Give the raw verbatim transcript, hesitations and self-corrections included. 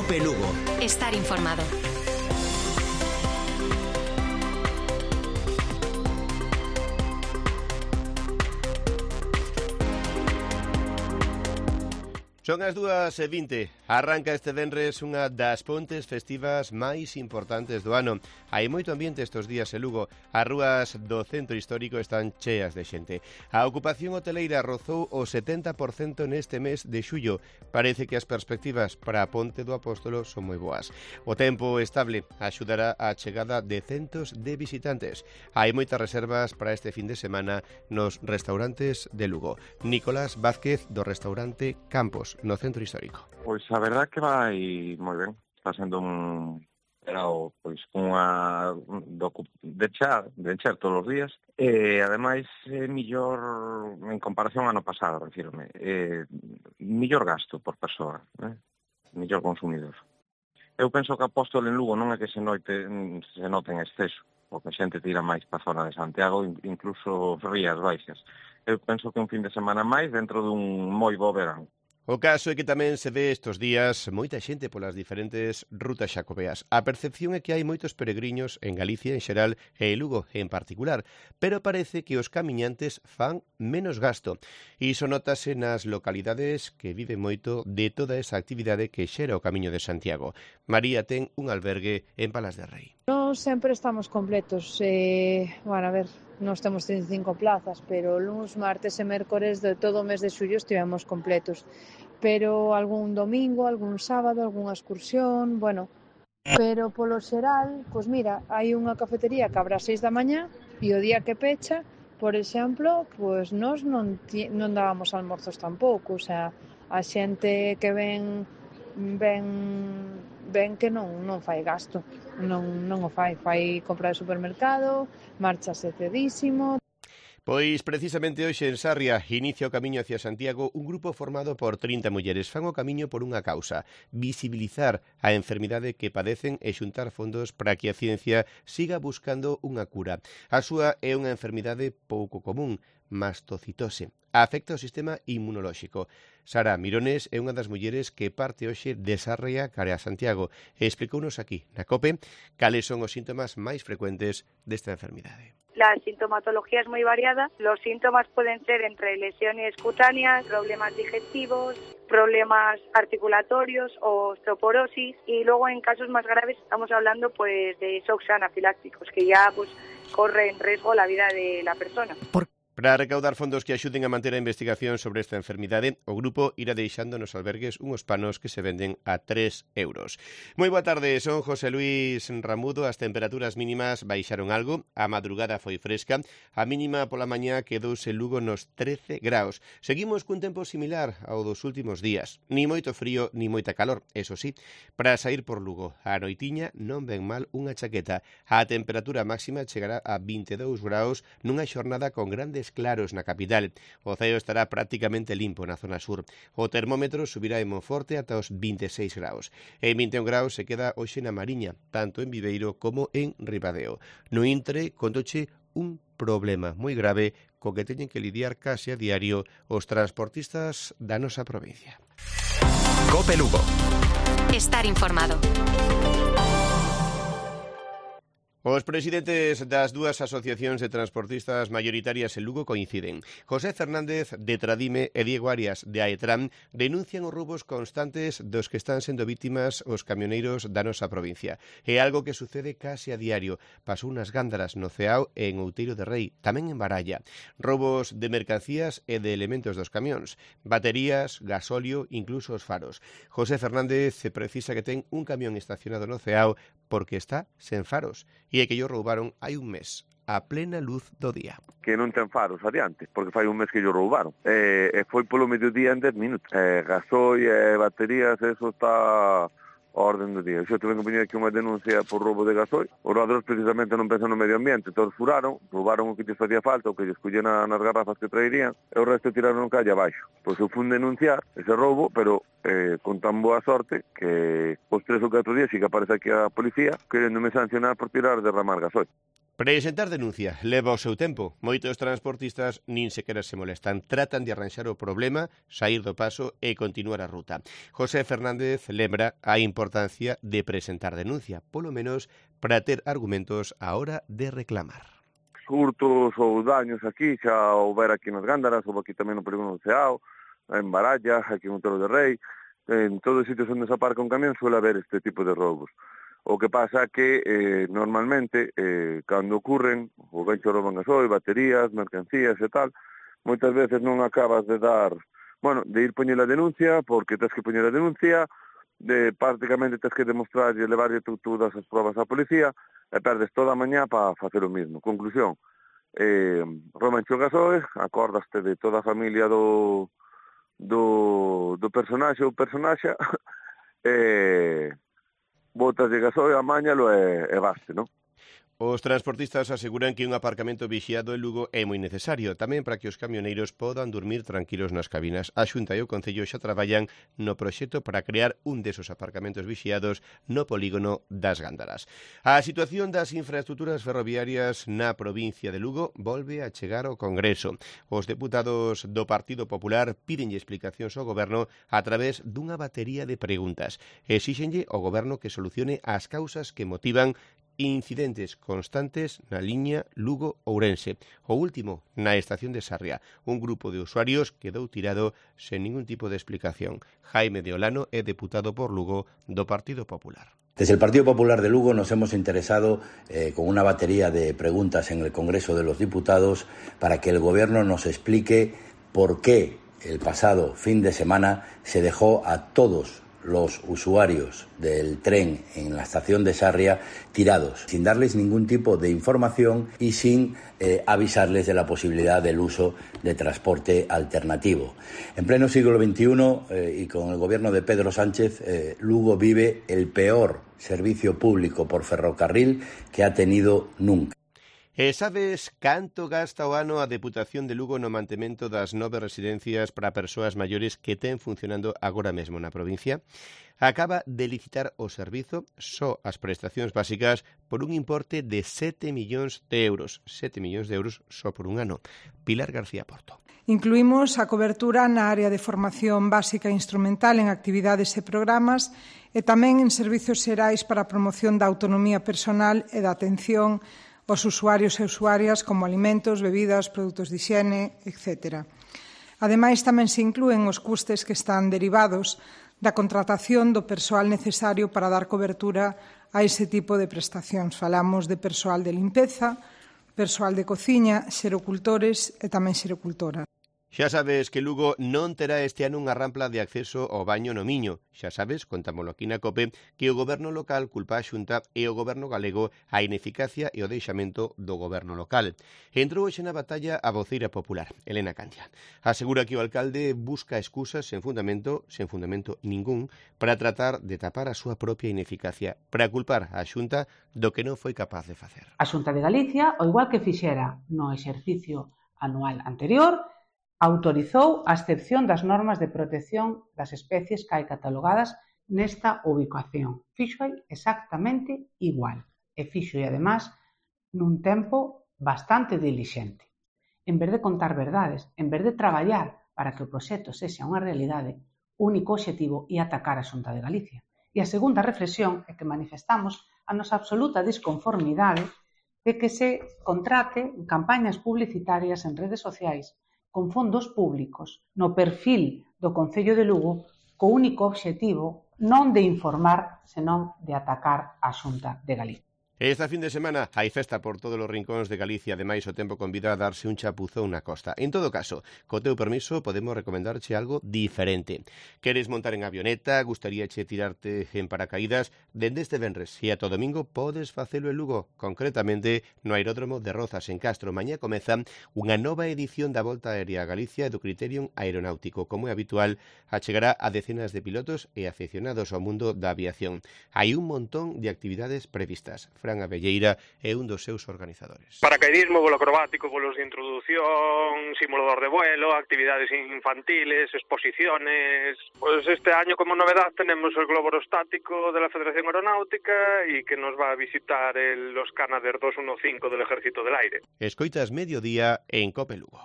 Cope Lugo. Estar informado. Son as dúas e vinte. Arranca este venres unha das pontes festivas máis importantes do ano. Hai moito ambiente estes días en Lugo. As rúas do centro histórico están cheas de xente. A ocupación hoteleira rozou o setenta por cento neste mes de xullo. Parece que as perspectivas para a Ponte do Apóstolo son moi boas. O tempo estable axudará á chegada de centos de visitantes. Hai moitas reservas para este fin de semana nos restaurantes de Lugo. Nicolás Vázquez, do restaurante Campos, no centro histórico. Pois a verdad que vai moi ben. Está sendo un verao pois unha de char, de encher todos os días. E ademais é millor en comparación ao ano pasado, refírome. É millor gasto por persoa, eh? Millor consumidor. Eu penso que a Apóstol en Lugo non é que se note, se note en exceso, porque a xente tira máis para a zona de Santiago, incluso Rías Baixas. Eu penso que un fin de semana máis dentro dun moi bo verán. O caso é que tamén se ve estes días moita xente polas diferentes rutas xacobeas. A percepción é que hai moitos peregriños en Galicia en xeral e en Lugo en particular, pero parece que os camiñantes fan menos gasto. Iso notase nas localidades que viven moito de toda esa actividade que xera o Camiño de Santiago. María ten un albergue en Palas de Rei. Non sempre estamos completos. Eh, bueno, a ver, nós temos treinta e cinco plazas, pero luns, martes e mércores de todo o mes de xullo estivemos completos. Pero algún domingo, algún sábado, algunha excursión, bueno. Pero polo xeral, pois mira, hai unha cafetería que abre ás seis da mañá e o día que pecha, por exemplo, pois nós non, non dábamos almorzos tampouco, o sea, a xente que ven ven ven que non non fai gasto, non non o fai, fai compra de supermercado, marchase cedísimo. Pois precisamente hoxe en Sarria inicia o camiño hacia Santiago un grupo formado por trinta mulleres. Fan o camiño por unha causa, visibilizar a enfermidade que padecen e xuntar fondos para que a ciencia siga buscando unha cura. A súa é unha enfermidade pouco común, mastocitose. Afecta o sistema inmunolóxico. Sara Mirones é unha das mulleres que parte hoxe de Sarria cara a Santiago e explicounos aquí, na COPE, cales son os síntomas máis frecuentes desta enfermidade. La sintomatología es muy variada. Los síntomas pueden ser entre lesiones cutáneas, problemas digestivos, problemas articulatorios o osteoporosis, y luego en casos más graves estamos hablando pues de shocks anafilácticos que ya pues corre en riesgo la vida de la persona. ¿Por Para recaudar fondos que axuden a manter a investigación sobre esta enfermidade, o grupo irá deixando nos albergues unhos panos que se venden a tres euros. Moi boa tarde, son José Luis Ramudo. As temperaturas mínimas baixaron algo, a madrugada foi fresca, a mínima pola mañá quedouse en Lugo nos trece graus. Seguimos cun tempo similar ao dos últimos días, ni moito frío ni moita calor, eso sí. Para sair por Lugo, a noitiña non ven mal unha chaqueta. A temperatura máxima chegará a vinte e dous graus nunha xornada con grandes claros na capital. O ceo estará prácticamente limpo na zona sur. O termómetro subirá en Monforte ata os vinte e seis graus. En vinte e un graus se queda hoxe na Mariña, tanto en Viveiro como en Ribadeo. No Intre, contoche un problema moi grave co que teñen que lidiar case a diario os transportistas da nosa provincia. Cope Lugo. Estar informado. Os presidentes das dúas asociacións de transportistas maioritarias en Lugo coinciden. José Fernández, de Tradime, e Diego Arias, de Aetram, denuncian os roubos constantes dos que están sendo vítimas os camioneiros da nosa provincia. É algo que sucede case a diario. Pasou nas Gándaras, no Ceao e en Outeiro de Rei, tamén en Baralla. Roubos de mercancías e de elementos dos camións, baterías, gasóleo, incluso os faros. José Fernández precisa que ten un camión estacionado no Ceao porque está sen faros, e é que yo roubaron hai un mes, a plena luz do día. Que non ten faros adiante, porque fai un mes que yo roubaron. E, e foi polo mediodía en dez minutos. E gasoi e baterías, eso está a orden do día. Xo tuve que poñer aquí unha denuncia por roubo de gasoi. Os roubadores precisamente non pensan no medio ambiente, todos furaron, roubaron o que lles facía falta, o que lles collen nas garrafas que traerían, e o resto tiraron calle abaixo. Pois eu fui denunciar ese roubo, pero eh, con tan boa sorte que os tres ou catro días sí que aparece aquí a policía querendome sancionar por tirar derramar gasoi. Presentar denuncia leva o seu tempo. Moitos transportistas nin sequera se molestan. Tratan de arranxar o problema, sair do paso e continuar a ruta. José Fernández lembra a importancia importancia de presentar denuncia, polo menos para ter argumentos a hora de reclamar. Hurtos ou daños aquí, xa houber aquí nas Gándaras, ou aquí tamén no Polígono do Ceao, en Baralla, aquí en Outeiro de Rei, en todos os sitios onde se aparca un camión suele haber este tipo de roubos. O que pasa que eh, normalmente, eh, cando ocurren, o ben che rouban gasoil, baterías, mercancías e tal, moitas veces non acabas de dar, bueno, de ir poñer a denuncia, porque tens que poñer a denuncia, de prácticamente tens que demostrarlle, levarlle tú todas as probas á policía, e perdes toda a mañá para facer o mismo. Conclusión, eh, roubanche o gasoil, acordaste de toda a familia do, do, do personaxe ou personaxa, e botas de gasoil, amáñalo e, e baste, non? Os transportistas aseguran que un aparcamento vixiado en Lugo é moi necesario, tamén para que os camioneiros podan dormir tranquilos nas cabinas. A Xunta e o Concello xa traballan no proxecto para crear un desos aparcamentos vixiados no polígono das Gándaras. A situación das infraestructuras ferroviarias na provincia de Lugo volve a chegar ao Congreso. Os deputados do Partido Popular pídenlle explicacións ao Goberno a través dunha batería de preguntas. Exíxenlle ao Goberno que solucione as causas que motivan incidentes constantes na liña Lugo-Ourense. O último, na estación de Sarria. Un grupo de usuarios quedou tirado sen ningún tipo de explicación. Jaime de Olano é deputado por Lugo do Partido Popular. Desde el Partido Popular de Lugo nos hemos interesado eh, con una batería de preguntas en el Congreso de los Diputados para que el Gobierno nos explique por qué el pasado fin de semana se dejó a todos los usuarios del tren en la estación de Sarria tirados, sin darles ningún tipo de información y sin eh, avisarles de la posibilidad del uso de transporte alternativo. En pleno siglo veintiuno eh, y con el gobierno de Pedro Sánchez, eh, Lugo vive el peor servicio público por ferrocarril que ha tenido nunca. E sabes canto gasta o ano a Deputación de Lugo no mantemento das nove residencias para persoas maiores que ten funcionando agora mesmo na provincia? Acaba de licitar o servizo, só as prestacións básicas, por un importe de sete millóns de euros. sete millóns de euros só por un ano. Pilar García Porto. Incluímos a cobertura na área de formación básica e instrumental en actividades e programas e tamén en servizos xerais para a promoción da autonomía personal e da atención aos usuarios e usuarias como alimentos, bebidas, produtos de higiene, etcétera. Ademais, tamén se inclúen os custes que están derivados da contratación do persoal necesario para dar cobertura a ese tipo de prestacións. Falamos de persoal de limpeza, persoal de cociña, xerocultores e tamén xerocultoras. Xa sabes que Lugo non terá este ano unha rampla de acceso ao baño no Miño. Xa sabes, contámolo aquí na COPE, que o goberno local culpa a Xunta e o goberno galego a ineficacia e o deixamento do goberno local. Entrou hoxe na batalla a voceira popular, Elena Candia. Asegura que o alcalde busca excusas sen fundamento, sen fundamento ningún, para tratar de tapar a súa propia ineficacia, para culpar a Xunta do que non foi capaz de facer. A Xunta de Galicia, ao igual que fixera no exercicio anual anterior, autorizou a excepción das normas de protección das especies que hai catalogadas nesta ubicación. Fixo exactamente igual e fixo, e además, nun tempo bastante dilixente. En vez de contar verdades, en vez de traballar para que o proxecto sexa unha realidade, o único obxectivo é atacar a Xunta de Galicia. E a segunda reflexión é que manifestamos a nosa absoluta desconformidade de que se contrate campañas publicitarias en redes sociais con fondos públicos no perfil do Concello de Lugo co único obxectivo non de informar, senón de atacar a Xunta de Galicia. Esta fin de semana hai festa por todos os rincóns de Galicia, ademais o tempo convida a darse un chapuzón na costa. En todo caso, co teu permiso, podemos recomendarche algo diferente. Queres montar en avioneta, gustaríache tirarte en paracaídas? Dende este venres e ata o domingo podes facelo en Lugo, concretamente no aeródromo de Rozas, en Castro. Mañá comeza unha nova edición da Volta Aérea a Galicia do Criterium Aeronáutico. Como é habitual, achegará a decenas de pilotos e aficionados ao mundo da aviación. Hai un montón de actividades previstas. Fran Abelleira é un dos seus organizadores. Paracaidismo, vuelo acrobático, vuelos de introducción, simulador de vuelo, actividades infantiles, exposiciones. Pues este año como novedad tenemos el globo aerostático de la Federación Aeronáutica y que nos va a visitar el, los Canadair doscientos quince del Ejército del Aire. Escoitas mediodía en COPE Lugo.